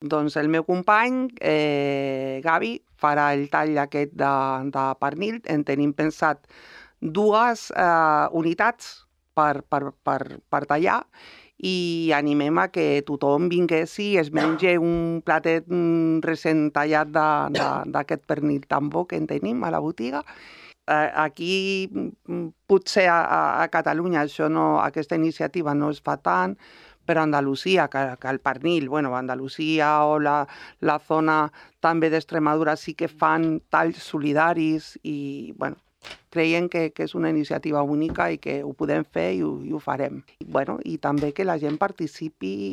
Doncs el meu company, Gavi, farà el tall aquest de pernil. En tenim pensat 2 unitats per tallar i animem a que tothom vinguessi i es mengi un platet recent tallat d'aquest pernil tan bo que en tenim a la botiga. Aquí potser a Catalunya aquesta iniciativa no es fa tant, però a Andalusia, que el pernil, bueno, Andalusia o la zona també d'Extremadura sí que fan talls solidaris i, bueno, creiem que és una iniciativa única i que ho podem fer i ho farem. Bueno, i també que la gent participi